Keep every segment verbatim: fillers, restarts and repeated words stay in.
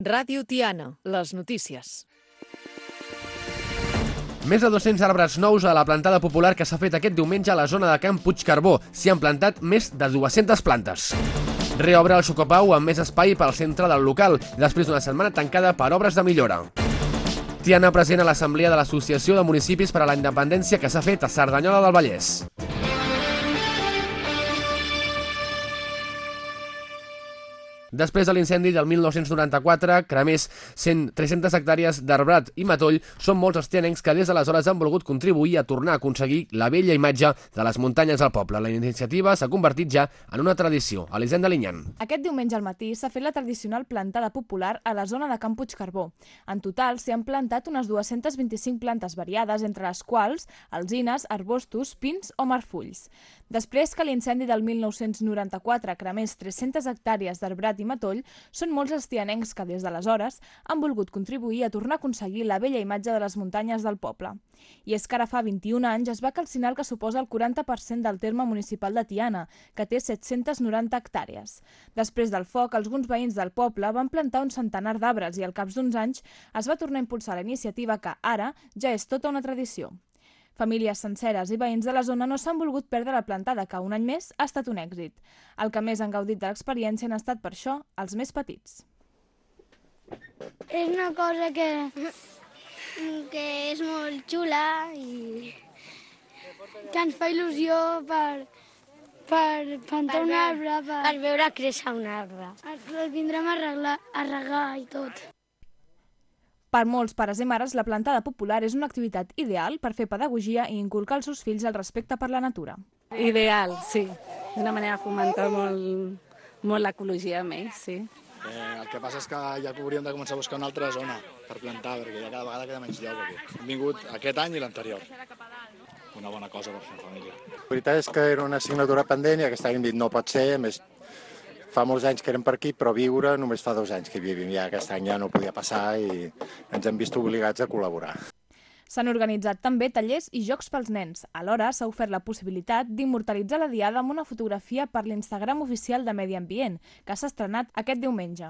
Ràdio Tiana, les notícies. Més de dos-cents arbres nous a la plantada popular que s'ha fet aquest diumenge a la zona de Can Puigcarbó. S'hi han plantat més de dues-centes plantes. Reobre el Xocopau amb més espai pel centre del local, després d'una setmana tancada per obres de millora. Tiana present a l'Assemblea de l'Associació de Municipis per a la Independència que s'ha fet a Cerdanyola del Vallès. Després de l'incendi del mil nou-cents noranta-quatre, cremés tres-centes hectàrees d'arbrat i matoll, són molts els tianencs que des d'aleshores han volgut contribuir a tornar a aconseguir la bella imatge de les muntanyes al poble. La iniciativa s'ha convertit ja en una tradició. Elisenda Linyan. Aquest diumenge al matí s'ha fet la tradicional plantada popular a la zona de Can Puigcarbó. En total s'hi han plantat unes dues-centes vint-i-cinc plantes variades, entre les quals alzines, arbustos, pins o marfulls. Després que l'incendi del mil nou-cents noranta-quatre cremés tres-centes hectàrees d'arbrat i matoll, són molts els tianencs que des d'aleshores han volgut contribuir a tornar a aconseguir la bella imatge de les muntanyes del poble. I és que ara fa vint-i-un anys es va calcinar el que suposa el quaranta per cent del terme municipal de Tiana, que té set-centes noranta hectàrees. Després del foc, alguns veïns del poble van plantar un centenar d'arbres i al cap d'uns anys es va tornar a impulsar la iniciativa que ara ja és tota una tradició. Famílies senceres i veïns de la zona no s'han volgut perdre la plantada, que un any més ha estat un èxit. El que més han gaudit de l'experiència han estat, per això, els més petits. És una cosa que, que és molt xula i que ens fa il·lusió per, per plantar un arbre, per, per veure créixer un arbre. El vindrem a, arreglar, a regar i tot. Per molts pares i mares, la plantada popular és una activitat ideal per fer pedagogia i inculcar als seus fills el respecte per la natura. Ideal, sí. D'una manera fomentar molt, molt l'ecologia amb ells, sí. Eh, el que passa és que ja hauríem de començar a buscar una altra zona per plantar, perquè ja cada vegada queda menys lloc aquí. Hem vingut aquest any i l'anterior. Una bona cosa per fer família. La veritat és que era una assignatura pendent i aquest any hem dit no pot ser, a més fa molts anys que érem per aquí, però viure només fa dos anys que vivim. Ja aquest any ja no podia passar i ens hem vist obligats a col·laborar. S'han organitzat també tallers i jocs pels nens. Alhora s'ha ofert la possibilitat d'immortalitzar la diada amb una fotografia per l'Instagram oficial de Medi Ambient, que s'ha estrenat aquest diumenge.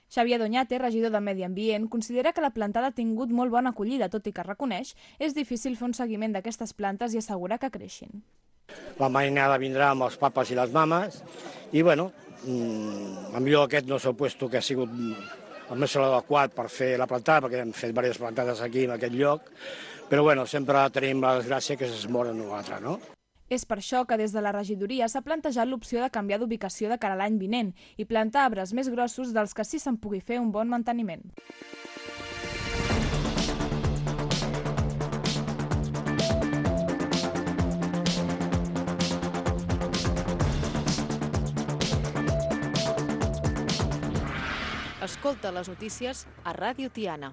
Xavier Doñate, regidor de Medi Ambient, considera que la plantada ha tingut molt bona acollida, tot i que reconeix és difícil fer un seguiment d'aquestes plantes i assegurar que creixin. La mainada vindrà amb els papes i les mames i, bueno, a millor aquest no s'ha puesto que ha sigut el més adequat per fer la plantada, perquè hem fet diverses plantades aquí en aquest lloc, però bueno, sempre tenim la desgràcia que es moren una altra, no? És per això que des de la regidoria s'ha plantejat l'opció de canviar d'ubicació de cara a l'any vinent i plantar arbres més grossos dels que sí se'n pugui fer un bon manteniment. Escolta les notícies a Ràdio Tiana.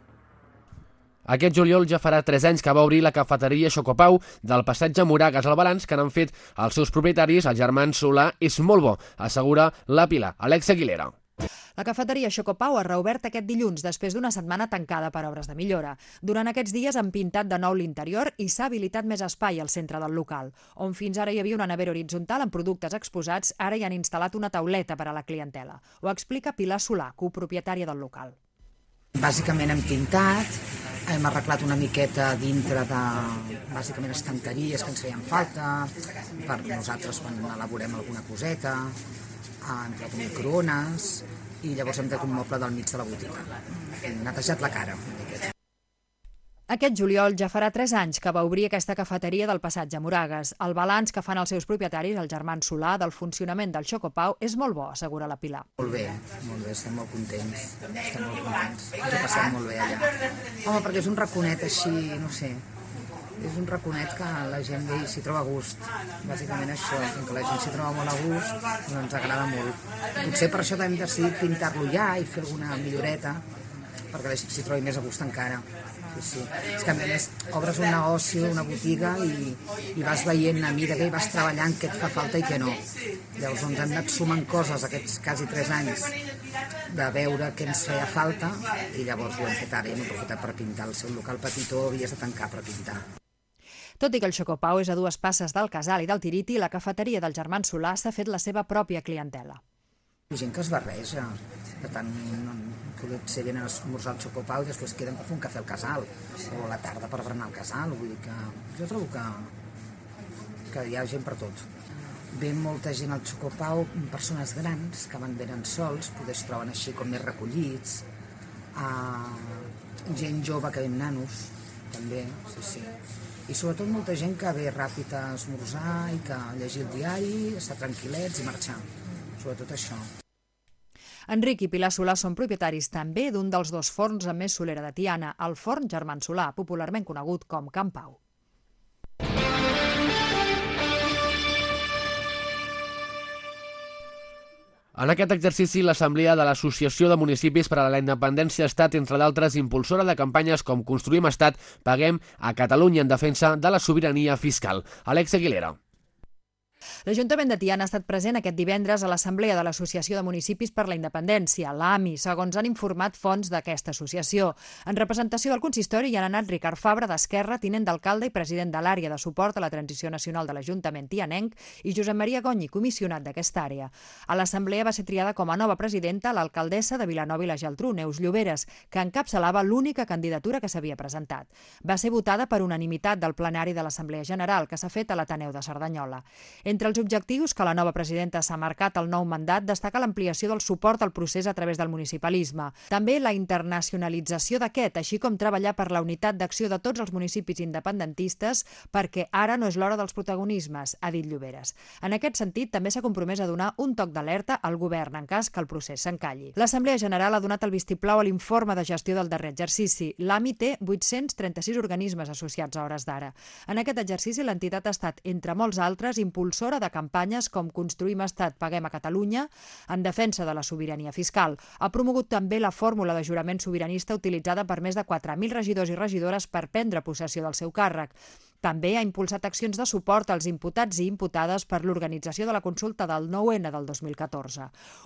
Aquest juliol ja farà tres anys que va obrir la cafeteria Xocopau del passatge Moragas. El balanç que n'han fet els seus propietaris, els germans Solà, és molt bo, assegura la Pilar, Alex Aguilera. La cafeteria Xocopau ha reobert aquest dilluns després d'una setmana tancada per obres de millora. Durant aquests dies han pintat de nou l'interior i s'ha habilitat més espai al centre del local. On fins ara hi havia una nevera horitzontal amb productes exposats, ara hi han instal·lat una tauleta per a la clientela. Ho explica Pilar Solà, copropietària del local. Bàsicament hem pintat, hem arreglat una miqueta dintre de, bàsicament, estanteries que ens feien falta, per nosaltres quan elaborem alguna coseta, hem tret un microones i llavors hem tret un moble del mig de la botiga. Hem netejat la cara una miqueta. Aquest juliol ja farà tres anys que va obrir aquesta cafeteria del passatge Moragas. El balanç que fan els seus propietaris, el germán Solà, del funcionament del Xocopau és molt bo, assegura la Pilar. Molt bé, molt bé, estem molt contents. Estem molt contents. Ens ho passem molt bé allà. Home, perquè és un raconet així, no sé, és un raconet que la gent s'hi troba a gust. Bàsicament això, que la gent s'hi troba molt a gust, doncs ens agrada molt. Potser per això hem decidit pintar-lo ja i fer alguna milloreta, perquè la gent s'hi trobi més a gust encara. Sí, sí. És que a més obres un negoci, una botiga i, i vas veient a mida que hi vas treballant què et fa falta i què no. Llavors doncs, hem anat sumant coses aquests quasi tres anys de veure què ens feia falta i llavors ho hem fet ara i hem aprofitat per pintar. El seu local petitó havies de tancar per pintar. Tot i que el Xocopau és a dues passes del Casal i del Tiriti, la cafeteria del germán Solà s'ha fet la seva pròpia clientela. Hi ha gent que es barreja, per tant, potser venen a esmorzar el xocopau i després queden per fer un cafè al casal, o a la tarda per berenar al casal, vull dir que jo trobo que, que hi ha gent per tot. Ven molta gent al xocopau, persones grans que van venen sols, poder es troben així com més recollits, uh, gent jove que ven nanos, també, sí, sí. I sobretot molta gent que ve ràpid a esmorzar i que llegir el diari, estar tranquil·lets i marxar. Sobretot això. Enric i Pilar Solà són propietaris també d'un dels dos forns amb més solera de Tiana, el forn Germán Solà, popularment conegut com Can Pau. En aquest exercici, l'Assemblea de l'Associació de Municipis per a la Independència ha estat, entre d'altres, impulsora de campanyes com Construïm Estat, Paguem a Catalunya en defensa de la sobirania fiscal. Alex Aguilera. L'Ajuntament de Tiana ha estat present aquest divendres a l'Assemblea de l'Associació de Municipis per la Independència, l'A M I, segons han informat fonts d'aquesta associació. En representació del consistori hi han anat Ricard Fabra, d'Esquerra, tinent d'alcalde i president de l'àrea de suport a la transició nacional de l'Ajuntament tianenc, i Josep Maria Gonyi, comissionat d'aquesta àrea. A l'Assemblea va ser triada com a nova presidenta l'alcaldessa de Vilanova i la Geltrú, Neus Lloberes, que encapçalava l'única candidatura que s'havia presentat. Va ser votada per unanimitat del plenari de l'Assemblea General, que s'ha fet a l'Ateneu de Cerdanyola. Entre els objectius que la nova presidenta s'ha marcat al nou mandat destaca l'ampliació del suport al procés a través del municipalisme. També la internacionalització d'aquest, així com treballar per la unitat d'acció de tots els municipis independentistes, perquè ara no és l'hora dels protagonismes, ha dit Lloberes. En aquest sentit, també s'ha compromès a donar un toc d'alerta al govern en cas que el procés s'encalli. L'Assemblea General ha donat el vistiplau a l'informe de gestió del darrer exercici. L'A M I té vuit-cents trenta-sis organismes associats a hores d'ara. En aquest exercici, l'entitat ha estat, entre molts altres, impulsora de campanyes com Construïm Estat, Paguem a Catalunya, en defensa de la sobirania fiscal. Ha promogut també la fórmula de jurament sobiranista utilitzada per més de quatre mil regidors i regidores per prendre possessió del seu càrrec. També ha impulsat accions de suport als imputats i imputades per l'organització de la consulta del nou ene del dos mil catorze.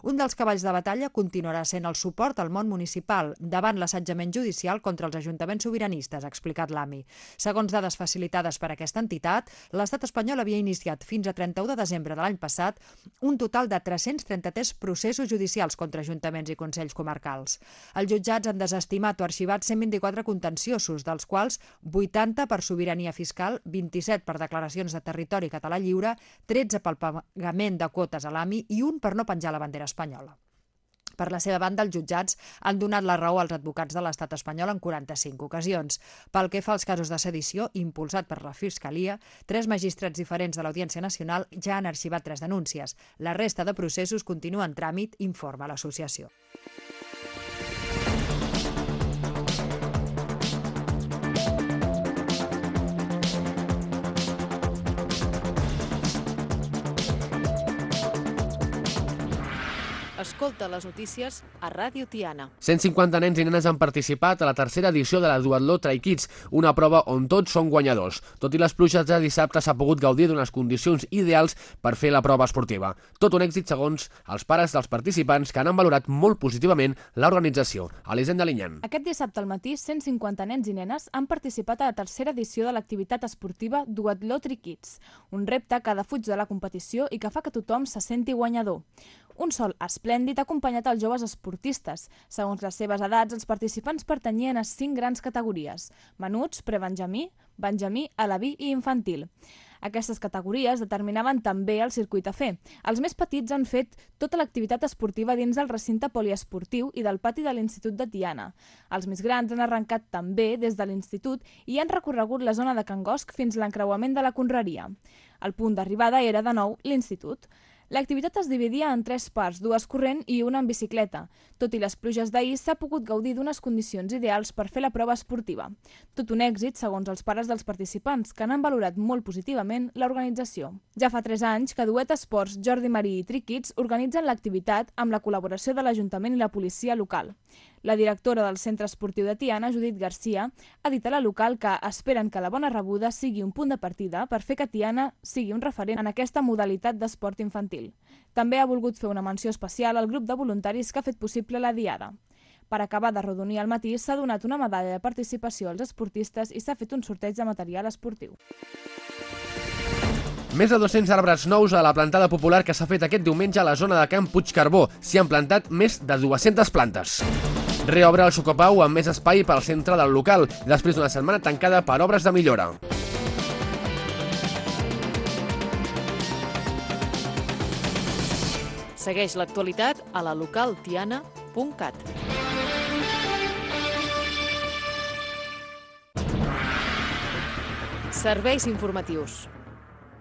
Un dels cavalls de batalla continuarà sent el suport al món municipal davant l'assetjament judicial contra els ajuntaments sobiranistes, ha explicat l'A M I. Segons dades facilitades per aquesta entitat, l'Estat espanyol havia iniciat fins a trenta-u de desembre de l'any passat un total de tres-cents trenta-tres processos judicials contra ajuntaments i consells comarcals. Els jutjats han desestimat o arxivat cent vint-i-quatre contenciosos, dels quals vuitanta per sobirania fiscal, vint-i-set per declaracions de territori català lliure, tretze pel pagament de quotes a l'A M I i un per no penjar la bandera espanyola. Per la seva banda, els jutjats han donat la raó als advocats de l'estat espanyol en quaranta-cinc ocasions. Pel que fa als casos de sedició, impulsat per la Fiscalia, tres magistrats diferents de l'Audiència Nacional ja han arxivat tres denúncies. La resta de processos continua en tràmit, informa l'associació. Escolta les notícies a Ràdio Tiana. cent cinquanta nens i nenes han participat a la tercera edició de la Duatló Try Kids, una prova on tots són guanyadors. Tot i les pluges de dissabte s'ha pogut gaudir d'unes condicions ideals per fer la prova esportiva. Tot un èxit segons els pares dels participants, que han valorat molt positivament l'organització. Elisenda Linyan. Aquest dissabte al matí, cent cinquanta nens i nenes han participat a la tercera edició de l'activitat esportiva Duatló Try Kids, un repte que defuig de la competició i que fa que tothom se senti guanyador. Un sol esplèndid ha acompanyat els joves esportistes. Segons les seves edats, els participants pertanyien a cinc grans categories: menuts, prebenjamí, benjamí, alaví i infantil. Aquestes categories determinaven també el circuit a fer. Els més petits han fet tota l'activitat esportiva dins del recinte poliesportiu i del pati de l'Institut de Tiana. Els més grans han arrencat també des de l'Institut i han recorregut la zona de Can Gosc fins l'encreuament de la Conreria. El punt d'arribada era, de nou, l'Institut. L'activitat es dividia en tres parts, dues corrent i una en bicicleta. Tot i les pluges d'ahir, s'ha pogut gaudir d'unes condicions ideals per fer la prova esportiva. Tot un èxit, segons els pares dels participants, que n'han valorat molt positivament l'organització. Ja fa tres anys que Duet Esports, Jordi Marí i Try Kids organitzen l'activitat amb la col·laboració de l'Ajuntament i la policia local. La directora del Centre Esportiu de Tiana, Judit Garcia, ha dit a la local que esperen que la bona rebuda sigui un punt de partida per fer que Tiana sigui un referent en aquesta modalitat d'esport infantil. També ha volgut fer una menció especial al grup de voluntaris que ha fet possible la diada. Per acabar de rodonir al matí, s'ha donat una medalla de participació als esportistes i s'ha fet un sorteig de material esportiu. Més de dos-cents arbres nous a la plantada popular que s'ha fet aquest diumenge a la zona de Camp Puigcarbó. S'hi han plantat més de dues-centes plantes. Reobre el Xocopau amb més espai pel centre del local, després d'una setmana tancada per obres de millora. Segueix l'actualitat a la local tiana punt cat. Serveis informatius.